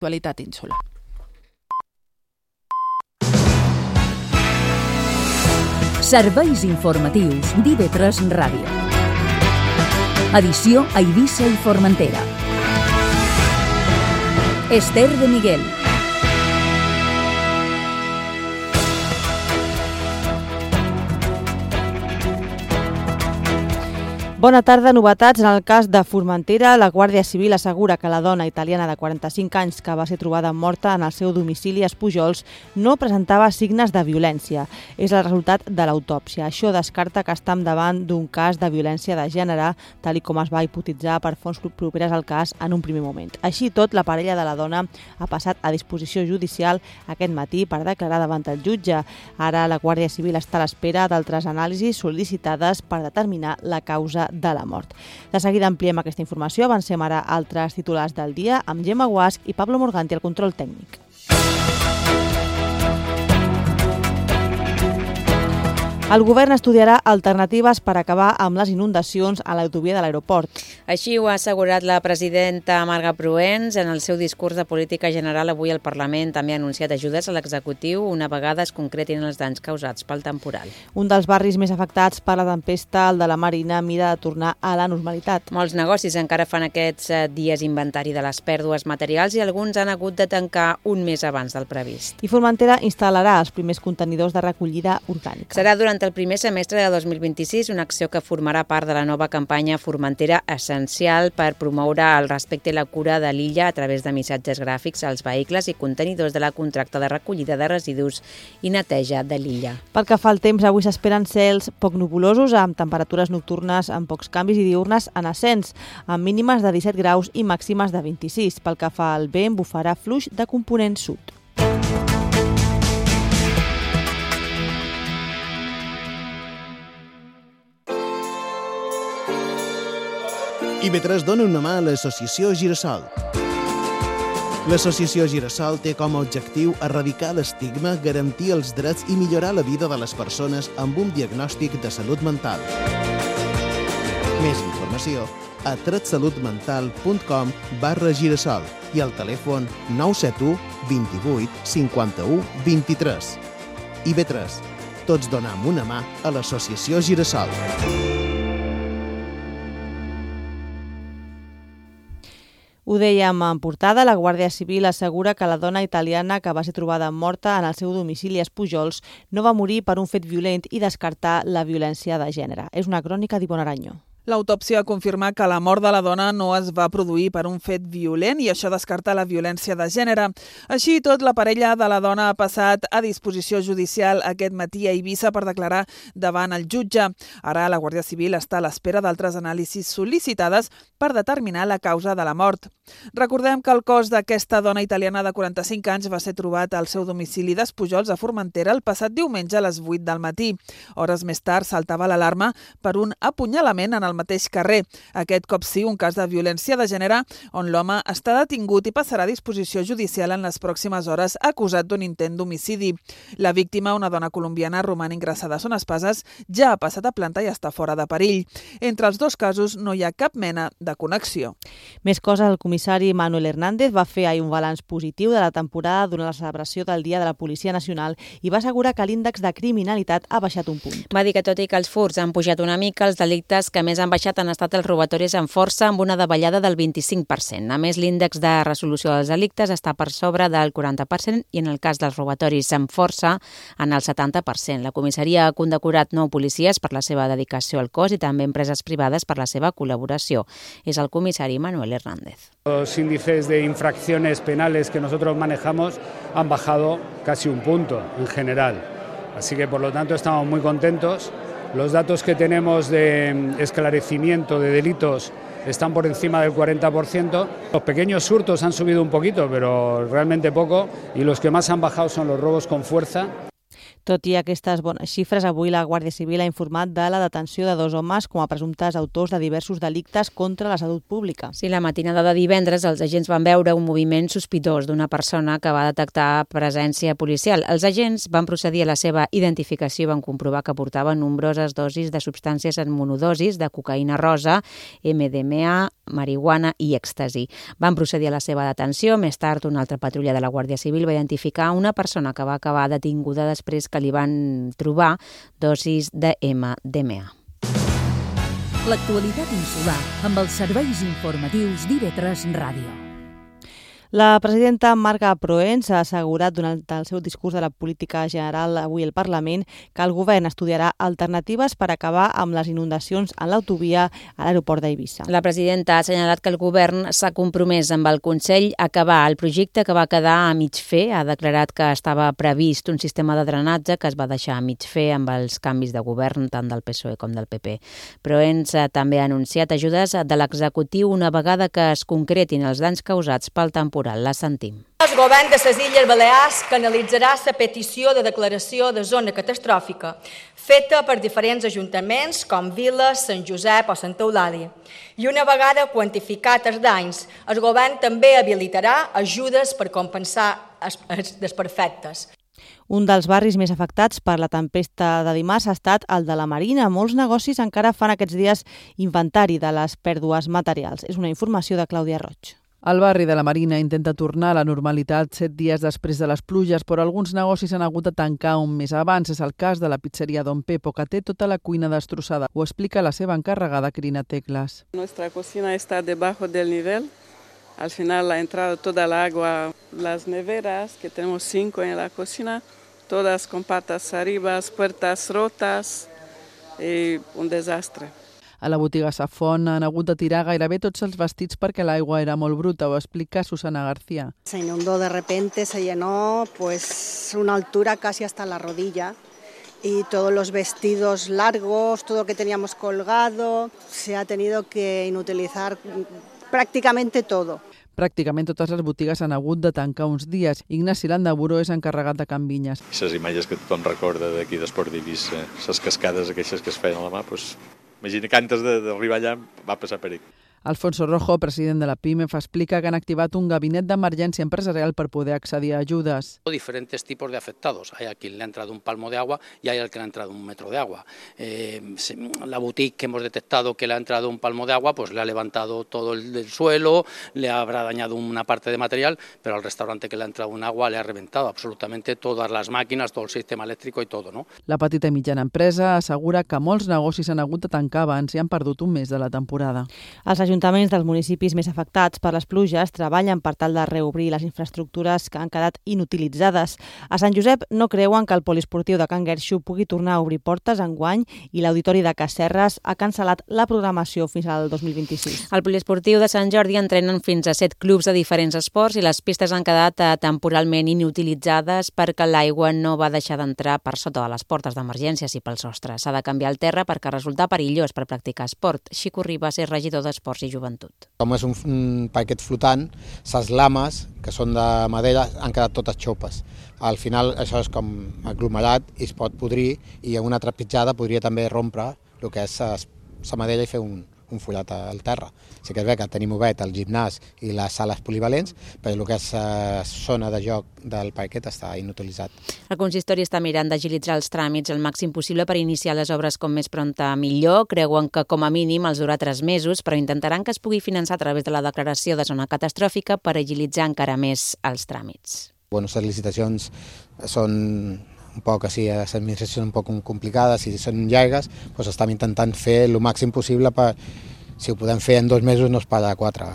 Actualitat insular. Serveis informatius d'IV3 Ràdio. Edició a Eivissa i Formentera. Esther de Miguel. Bona tarda. Novetats. En el cas de Formentera, la Guàrdia Civil assegura que la dona italiana de 45 anys que va ser trobada morta en el seu domicili a Espujols no presentava signes de violència. És el resultat de l'autòpsia. Això descarta que estem davant d'un cas de violència de gènere, tal com es va hipotetitzar per fonts properes al cas en un primer moment. Així i tot, la parella de la dona ha passat a disposició judicial aquest matí per declarar davant el jutge. Ara la Guàrdia Civil està a l'espera d'altres anàlisis sol·licitades per determinar la causa de la mort. De seguida ampliem aquesta informació. Avancem ara a altres titulars del dia amb Gemma Guasch i Pablo Morganti al control tècnic. El govern estudiarà alternatives per acabar amb les inundacions a l'autovia de l'aeroport. Així ho ha assegurat la presidenta Marga Proens en el seu discurs de política general avui al Parlament. També ha anunciat ajudes a l'executiu una vegada es concretin els danys causats pel temporal. Un dels barris més afectats per la tempesta, el de la Marina, mira de tornar a la normalitat. Molts negocis encara fan aquests dies inventari de les pèrdues materials i alguns han hagut de tancar un mes abans del previst. I Formentera instal·larà els primers contenidors de recollida orgànica. Serà durant el primer semestre de 2026, una acció que formarà part de la nova campanya Formentera Essencial per promoure el respecte i la cura de l'illa a través de missatges gràfics als vehicles i contenidors de la contracta de recollida de residus i neteja de l'illa. Pel que fa al temps, avui s'esperen cels poc nuvolosos amb temperatures nocturnes amb pocs canvis i diürnes en ascens, amb mínimes de 17 graus i màximes de 26. Pel que fa al vent, bufarà fluix de component sud. IV3 dona una mà a l'associació Girassol. L'associació Girassol té com a objectiu erradicar l'estigma, garantir els drets i millorar la vida de les persones amb un diagnòstic de salut mental. Més informació a tretsalutmental.com/Girassol i al telèfon 971 28 51 23. IV3. Tots donem una mà a l'associació Girassol. Ho dèiem en portada, la Guàrdia Civil assegura que la dona italiana que va ser trobada morta en el seu domicili a Espujols no va morir per un fet violent i descartar la violència de gènere. És una crònica d'Ivonne Arañó. L'autòpsia confirma que la mort de la dona no es va produir per un fet violent i això descarta la violència de gènere. Així i tot, la parella de la dona ha passat a disposició judicial aquest matí a Eivissa per declarar davant el jutge. Ara la Guàrdia Civil està a l'espera d'altres anàlisis sol·licitades per determinar la causa de la mort. Recordem que el cos d'aquesta dona italiana de 45 anys va ser trobat al seu domicili d'Espujols a Formentera el passat diumenge a les 8 del matí. Hores més tard saltava l'alarma per un apunyalament en el mateix carrer. Aquest cop sí, un cas de violència de gènere on l'home està detingut i passarà a disposició judicial en les pròximes hores acusat d'un intent d'homicidi. La víctima, una dona colombiana, roman ingressada a Son Espases, ja ha passat a planta i està fora de perill. Entre els dos casos no hi ha cap mena de connexió. Més coses, el comissari Manuel Hernández va fer ahir un balanç positiu de la temporada durant la celebració del Dia de la Policia Nacional i va assegurar que l'índex de criminalitat ha baixat un punt. Va dir que tot i que els furts han pujat una mica, els delictes que més han baixat han estat els robatoris amb força amb una davallada del 25%. A més, l'índex de resolució dels delictes està per sobre del 40% i en el cas dels robatoris amb força en el 70%. La comissaria ha condecorat 9 policies per la seva dedicació al cos i també empreses privades per la seva col·laboració. És el comissari Manuel Hernández. Los índices de infracciones penales que nosotros manejamos han bajado casi un punto en general. Así que, por lo tanto, estamos muy contentos. Los datos que tenemos de esclarecimiento de delitos están por encima del 40%. Los pequeños hurtos han subido un poquito, pero realmente poco, y los que más han bajado son los robos con fuerza. Tot i aquestes bones xifres, avui la Guàrdia Civil ha informat de la detenció de 2 homes com a presumptes autors de diversos delictes contra la salut pública. Sí, la matinada de divendres els agents van veure un moviment sospitós d'una persona que va detectar presència policial. Els agents van procedir a la seva identificació i van comprovar que portava nombroses dosis de substàncies en monodosis de cocaïna rosa, MDMA, marihuana i èxtasi. Van procedir a la seva detenció. Més tard, una altra patrulla de la Guàrdia Civil va identificar una persona que va acabar detinguda després que li van trobar dosis de MDMA. L'actualitat insular amb els serveis informatius d'IV3 Ràdio. La presidenta Marga Proens ha assegurat durant el seu discurs de la política general avui al Parlament que el govern estudiarà alternatives per acabar amb les inundacions en l'autovia a l'aeroport d'Eivissa. La presidenta ha assenyalat que el govern s'ha compromès amb el Consell a acabar el projecte que va quedar a mig fer. Ha declarat que estava previst un sistema de drenatge que es va deixar a mig fer amb els canvis de govern tant del PSOE com del PP. Proens també ha anunciat ajudes de l'executiu una vegada que es concretin els danys causats pel temporal. La sentim. El govern de les Illes Balears canalitzarà la petició de declaració de zona catastròfica feta per diferents ajuntaments com Viles, Sant Josep o Santa Eulàlia. I una vegada quantificat els danys, el govern també habilitarà ajudes per compensar els desperfectes. Un dels barris més afectats per la tempesta de dimarts ha estat el de la Marina. Molts negocis encara fan aquests dies inventari de les pèrdues materials. És una informació de Clàudia Roig. El barri de la Marina intenta tornar a la normalitat 7 dies després de les pluges, però alguns negocis han hagut de tancar un mes abans. És el cas de la pizzeria Don Pepo, que té tota la cuina destrossada. Ho explica la seva encarregada, Crina Teclas. Nuestra cocina está debajo del nivel. Al final ha entrado toda el agua. Las neveras, que tenemos 5 en la cocina, todas con patas arriba, puertas rotas y un desastre. A la botiga Safon han hagut de tirar gairebé tots els vestits perquè l'aigua era molt bruta, ho explica Susana García. Se inundó de repente, se llenó pues una altura casi hasta la rodilla y todos los vestidos largos, todo lo que teníamos colgado, se ha tenido que inutilizar prácticamente todo. Pràcticament totes les botigues han hagut de tancar uns dies. Ignasi Landaburo és encarregat de Can Vinyes. Les imatges que tothom recorda d'aquí d'Esport d'Eivissa, les cascades aquelles que es feien a la mà, doncs, imagina que antes d'arribar allà va passar perill. Alfonso Rojo, president de la PIMEF, explica que han activat un gabinet d'emergència empresarial per poder accedir a ayudas. Diferentes tipos de afectados. Hay a quien le ha entrado un palmo de agua y hay al que le ha entrado un metro de agua. La boutique que hemos detectado que le ha entrado un palmo de agua, pues le ha levantado todo el suelo, le habrá dañado una parte de material, pero al restaurante que le ha entrado un agua le ha reventado absolutamente todas las máquinas, todo el sistema eléctrico y todo, ¿no? La petita i mitjana empresa assegura que molts negocis han hagut de tancar abans i han perdut un mes de la temporada. Els ajuntaments dels municipis més afectats per les pluges treballen per tal de reobrir les infraestructures que han quedat inutilitzades. A Sant Josep no creuen que el poliesportiu de Can Guerxo pugui tornar a obrir portes enguany i l'Auditori de Casserres ha cancel·lat la programació fins al 2026. Al poliesportiu de Sant Jordi entrenen fins a 7 clubs de diferents esports i les pistes han quedat temporalment inutilitzades perquè l'aigua no va deixar d'entrar per sota de les portes d'emergències i pel sostre. S'ha de canviar el terra perquè resulta perillós per practicar esport. Xico Ribas és regidor d'Esports i Joventut. Com és un paquet flotant, les lames, que són de madera, han quedat totes xopes. Al final això és com aglomerat i es pot podrir i amb una trepitjada podria també rompre el que és la madera i fer un follat al terra. Sí que és bé que tenim obert el gimnàs i les sales polivalents, però el que és zona de joc del parquet està inutilitzat. El consistori està mirant d'agilitzar els tràmits el màxim possible per iniciar les obres com més prompte millor. Creuen que com a mínim els durà 3 mesos, però intentaran que es pugui finançar a través de la declaració de zona catastròfica per agilitzar encara més els tràmits. Les licitacions són un poc així, les administracions un poc complicades i són llargues, doncs estem intentant fer el màxim possible per, si ho podem fer en 2 mesos, no es paga 4.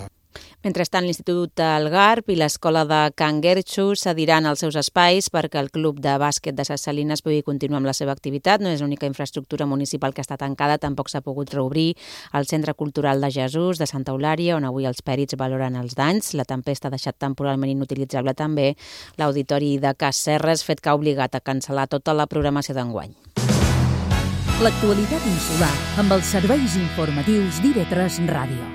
Mentrestant, l'Institut El Garb i l'Escola de Can Guerxo cediran els seus espais perquè el Club de Bàsquet de Ses Salines pugui continuar amb la seva activitat. No és l'única infraestructura municipal que està tancada, tampoc s'ha pogut reobrir el Centre Cultural de Jesús de Santa Eulària, on avui els pèrits valoren els danys. La tempesta ha deixat temporalment inutilitzable també l'Auditori de Casserres, fet que ha obligat a cancel·lar tota la programació d'enguany. L'actualitat insular amb els serveis informatius d'IV3 Ràdio.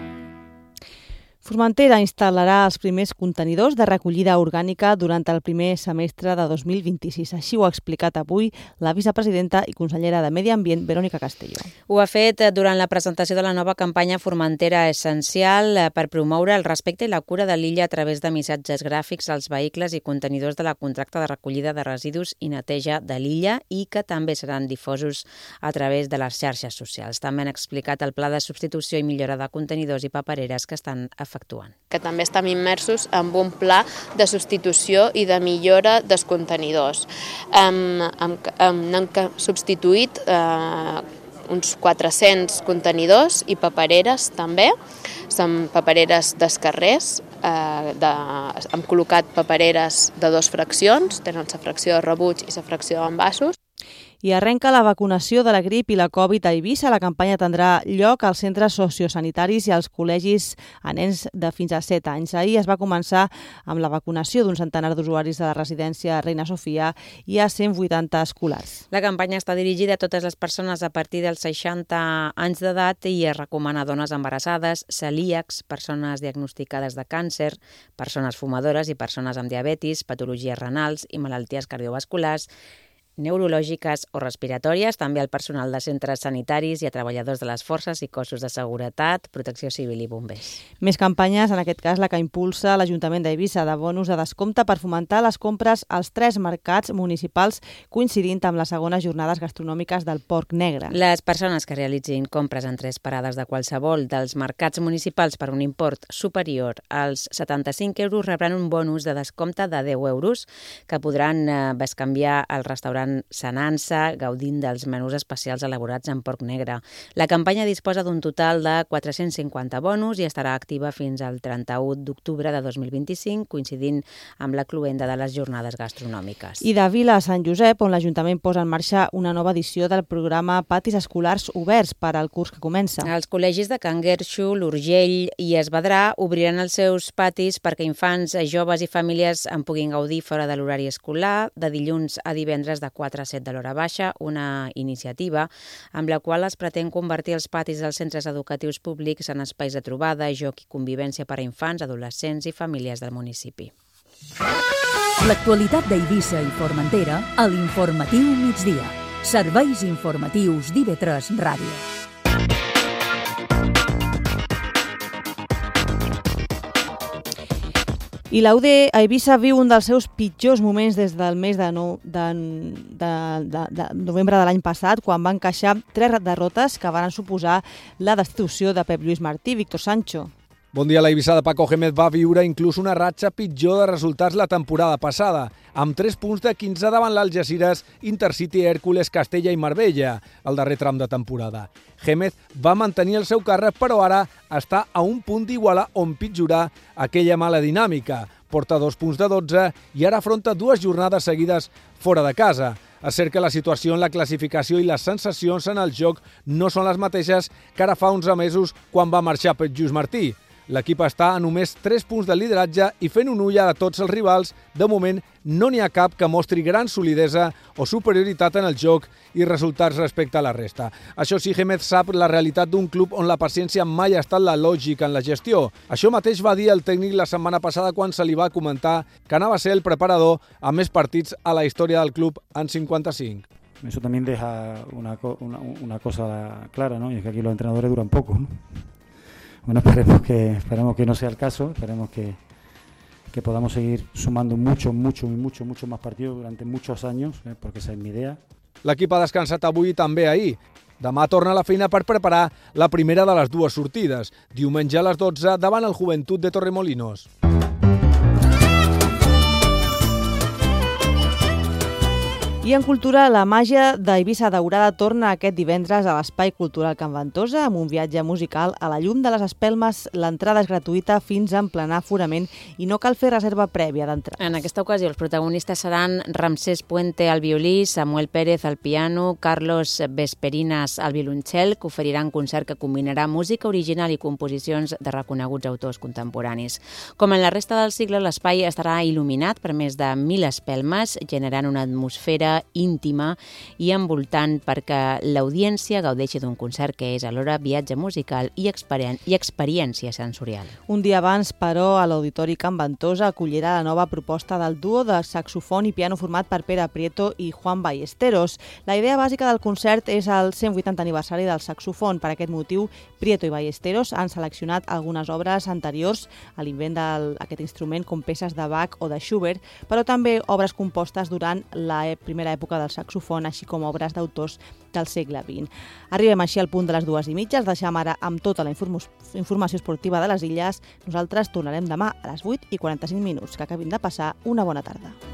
Formentera instal·larà els primers contenidors de recollida orgànica durant el primer semestre de 2026. Així ho ha explicat avui la vicepresidenta i consellera de Medi Ambient, Verònica Castelló. Ho ha fet durant la presentació de la nova campanya Formentera Essencial per promoure el respecte i la cura de l'illa a través de missatges gràfics als vehicles i contenidors de la contracta de recollida de residus i neteja de l'illa i que també seran difosos a través de les xarxes socials. També han explicat el pla de substitució i millora de contenidors i papereres que estan efectuant. Que també estem immersos en un pla de substitució i de millora dels contenidors. Hem substituït uns 400 contenidors i papereres també. Són papereres dels carrers. Hem col·locat papereres de 2 fraccions, tenen la fracció de rebuig i la fracció d'envasos. I arrenca la vacunació de la grip i la Covid a Eivissa. La campanya tindrà lloc als centres sociosanitaris i als col·legis a nens de fins a 7 anys. Ahir es va començar amb la vacunació d'un centenar d'usuaris de la residència Reina Sofia i a 180 escolars. La campanya està dirigida a totes les persones a partir dels 60 anys d'edat i es recomana a dones embarassades, celíacs, persones diagnosticades de càncer, persones fumadores i persones amb diabetis, patologies renals i malalties cardiovasculars, neurològiques o respiratòries, també al personal de centres sanitaris i a treballadors de les forces i cossos de seguretat, protecció civil i bombers. Més campanyes, en aquest cas la que impulsa l'Ajuntament d'Eivissa de bonus de descompte per fomentar les compres als 3 mercats municipals coincidint amb les segones jornades gastronòmiques del Porc Negre. Les persones que realitzin compres en 3 parades de qualsevol dels mercats municipals per un import superior als 75 euros rebran un bonus de descompte de 10 euros que podran bescanviar al restaurant Sanansa, gaudint dels menús especials elaborats en porc negre. La campanya disposa d'un total de 450 bonus i estarà activa fins al 31 d'octubre de 2025, coincidint amb la cloenda de les jornades gastronòmiques. I de Vila a Sant Josep, on l'Ajuntament posa en marxa una nova edició del programa Patis Escolars Oberts per al curs que comença. Els col·legis de Can Guerxo, l'Urgell i Esvedrà obriran els seus patis perquè infants, joves i famílies en puguin gaudir fora de l'horari escolar, de dilluns a divendres de 4 a 7 de l'hora baixa, una iniciativa amb la qual es pretén convertir els patis dels centres educatius públics en espais de trobada, joc i convivència per a infants, adolescents i famílies del municipi. L'actualitat d'Eivissa i Formentera a l'Informatiu Migdia. Serveis informatius d'IV3 Ràdio. I l'UD a Eivissa viu un dels seus pitjors moments des del mes de novembre de l'any passat, quan van encaixar 3 derrotes que van suposar la destitució de Pep Lluís Martí. Víctor Sancho. Bon dia. La Eivissa de Paco Gémez va viure inclús una ratxa pitjor de resultats la temporada passada, amb 3 punts de 15 davant l'Algeciras, Intercity, Hèrcules, Castella i Marbella, el darrer tram de temporada. Gémez va mantenir el seu càrrec, però ara està a un punt d'igualar o empitjorar aquella mala dinàmica. Porta 2 punts de 12 i ara afronta 2 jornades seguides fora de casa. És cert que la situació en la classificació i les sensacions en el joc no són les mateixes que ara fa 11 mesos quan va marxar Pep Lluís Martí. L'equip està a només 3 punts de lideratge i fent un ull a tots els rivals, de moment no n'hi ha cap que mostri gran solidesa o superioritat en el joc i resultats respecte a la resta. Això sí, Gémez sap la realitat d'un club on la paciència mai ha estat la lògica en la gestió. Això mateix va dir el tècnic la setmana passada quan se li va comentar que anava a ser el preparador amb més partits a la història del club en 55. Eso también deja una cosa clara, ¿no? Y es que aquí los entrenadores duran poco, ¿no? Bueno, esperemos que no sea el caso, esperemos que podamos seguir sumando mucho más partidos durante muchos años, porque esa es mi idea. L'equip ha descansat avui i també ahir. Demà torna a la feina per preparar la primera de les 2 sortides, diumenge a les 12 davant el Joventut de Torremolinos. I en cultura, la màgia d'Eivissa Daurada torna aquest divendres a l'Espai Cultural Can Ventosa amb un viatge musical a la llum de les espelmes. L'entrada és gratuïta fins a emplenar aforament i no cal fer reserva prèvia d'entrada. En aquesta ocasió els protagonistes seran Ramsès Puente al violí, Samuel Pérez al piano, Carlos Vesperinas al violoncel, que oferiran concert que combinarà música original i composicions de reconeguts autors contemporanis. Com en la resta del cicle, l'espai estarà il·luminat per més de 1.000 espelmes, generant una atmosfera música íntima i envoltant perquè l'audiència gaudeixi d'un concert que és alhora viatge musical i experiència sensorial. Un dia abans, però, a l'Auditori Can Ventosa acollirà la nova proposta del duo de saxofon i piano format per Pere Prieto i Juan Ballesteros. La idea bàsica del concert és el 180 aniversari del saxofon. Per aquest motiu, Prieto i Ballesteros han seleccionat algunes obres anteriors a l'invent d'aquest instrument, com peces de Bach o de Schubert, però també obres compostes durant la primera època del saxofon, així com obres d'autors del segle XX. Arribem així al punt de les 2:30. Els deixem ara amb tota la informació esportiva de les Illes. Nosaltres tornarem demà a les 8:45. Que acabin de passar una bona tarda.